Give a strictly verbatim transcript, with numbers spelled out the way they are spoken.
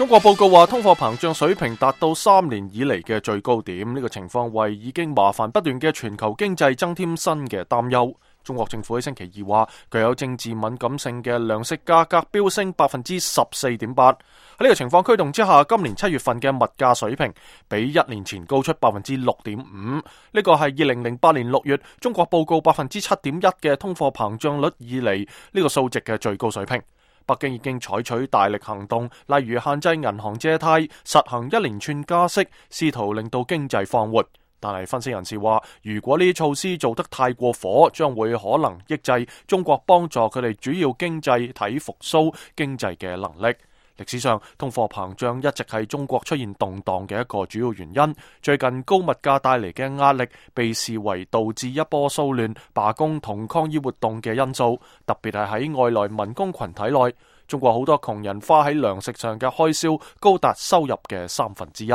中國報告話，通貨膨脹水平達到三年以嚟嘅最高點，呢個情況為已經麻煩不斷嘅全球經濟增添新嘅擔憂。中國政府喺星期二話，具有政治敏感性嘅糧食價格飆升百分之十四點八。喺呢個情況驅動之下，今年七月份嘅物價水平比一年前高出百分之六點五。呢個係二零零八年六月中國報告百分之七點一嘅通貨膨脹率以嚟呢個數值嘅最高水平。北京已經採取大力行動，例如限制銀行借貸、實行一連串加息，試圖令到經濟放活。但係分析人士話，如果呢啲措施做得太過火，將會可能抑制中國幫助佢哋主要經濟體復甦經濟嘅能力。歷史上，通貨膨脹一直係中國出現動盪嘅一個主要原因。最近高物價帶嚟嘅壓力被視為導致一波騷亂、罷工同抗議活動嘅因素，特別係喺外來民工群體內。中國好多窮人花喺糧食上嘅開銷高達收入嘅三分之一。